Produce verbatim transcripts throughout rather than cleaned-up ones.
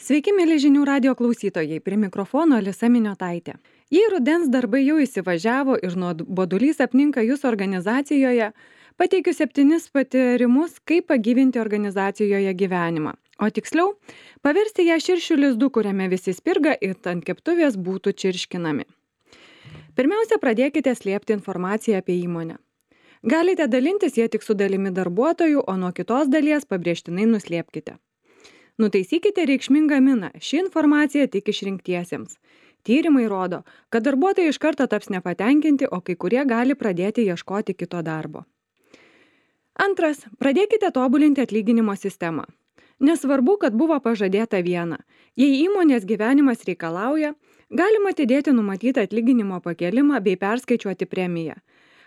Sveiki, mėly žinių radio klausytojai, prie mikrofono Alisa Miniotaitė. Jei rudens darbai jau įsivažiavo ir nuobodulys apninka jūs organizacijoje, pateikiu septynis patarimus, kaip pagyvinti organizacijoje gyvenimą. O tiksliau, paversti ją širšių lizdu, kuriame visi spirga ir ant keptuvės būtų čirškinami. Pirmiausia, pradėkite slėpti informaciją apie įmonę. Galite dalintis ją tik su dalimi darbuotojų, o nuo kitos dalies pabrėžtinai nuslėpkite. Nutaisykite reikšmingą miną. Ši informacija tik išrinktiesiems. Tyrimai rodo, kad darbuotojai iš karto taps nepatenkinti, o kai kurie gali pradėti ieškoti kito darbo. Antras, pradėkite tobulinti atlyginimo sistemą. Nesvarbu, kad buvo pažadėta viena. Jei įmonės gyvenimas reikalauja, galima atidėti numatytą atlyginimo pakelimą bei perskaičiuoti premiją.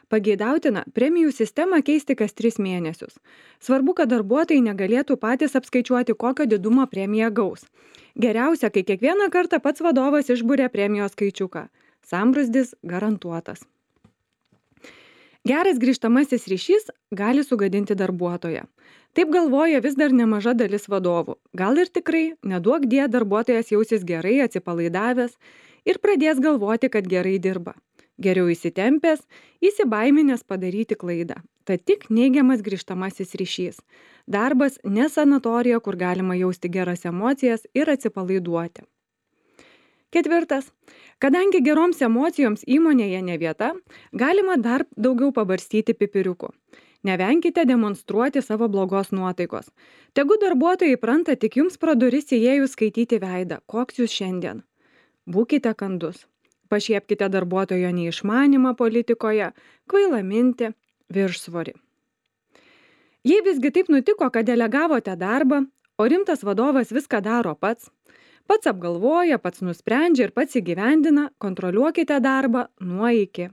Pageidautina premijų sistemą keisti kas tris mėnesius. Svarbu, kad darbuotojai negalėtų patys apskaičiuoti, kokio didumo premiją gaus. Geriausia, kai kiekvieną kartą pats vadovas išburia premijos skaičiuką. Sambrūzdis garantuotas. Geras grįžtamasis ryšys gali sugadinti darbuotoją. Taip galvoja vis dar nemaža dalis vadovų. Gal ir tikrai, neduok die, darbuotojas jausis gerai, atsipalaidavęs ir pradės galvoti, kad gerai dirba. Geriau įsitempęs, įsibaiminęs padaryti klaidą. Tad tik neigiamas grįžtamasis ryšys. Darbas ne sanatorija, kur galima jausti geras emocijas ir atsipalaiduoti. Ketvirtas. Kadangi geroms emocijoms įmonėje ne vieta, galima dar daugiau pabarstyti pipiriukų. Nevenkite demonstruoti savo blogos nuotaikos. Tegu darbuotojai įpranta tik jums pro duris įėjus skaityti veidą, koks jūs šiandien. Būkite kandus. Pašiepkite darbuotojo neišmanymą politikoje, kvailą mintį, viršsvorį. Jei visgi taip nutiko, kad delegavote darbą, o rimtas vadovas viską daro pats, pats apgalvoja, pats nusprendžia ir pats įgyvendina, kontroliuokite darbą nuo iki.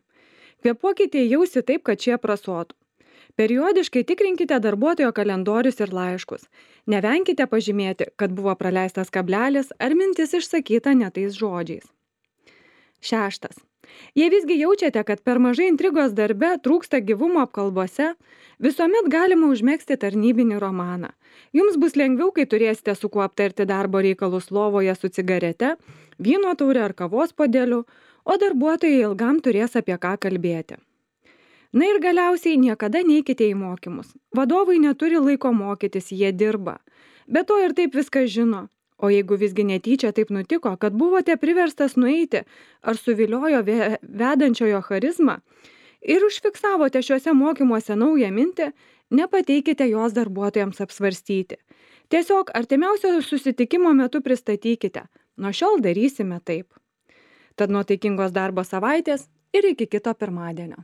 Kvėpuokite į ausį taip, kad šie prasotų. Periodiškai tikrinkite darbuotojo kalendorius ir laiškus. Nevenkite pažymėti, kad buvo praleistas kablelis ar mintis išsakyta ne tais žodžiais. Šeštas. Jei visgi jaučiate, kad per mažai intrigos darbe trūksta gyvumo apkalbose, visuomet galima užmegzti tarnybinį romaną. Jums bus lengviau, kai turėsite su kuo aptarti darbo reikalus lovoje su cigarete, vyno taure ar kavos puodeliu, o darbuotojai ilgam turės apie ką kalbėti. Na ir galiausiai niekada neikite į mokymus. Vadovai neturi laiko mokytis, jie dirba. Be to ir taip viską žino. O jeigu visgi netyčia taip nutiko, kad buvote priverstas nueiti ar suviliojo vedančiojo charizmą ir užfiksavote šiuose mokymuose naują mintį, nepateikite jos darbuotojams apsvarstyti. Tiesiog artimiausio susitikimo metu pristatykite. Nuo šiol darysime taip. Tad nuotaikingos darbo savaitės ir iki kito pirmadienio.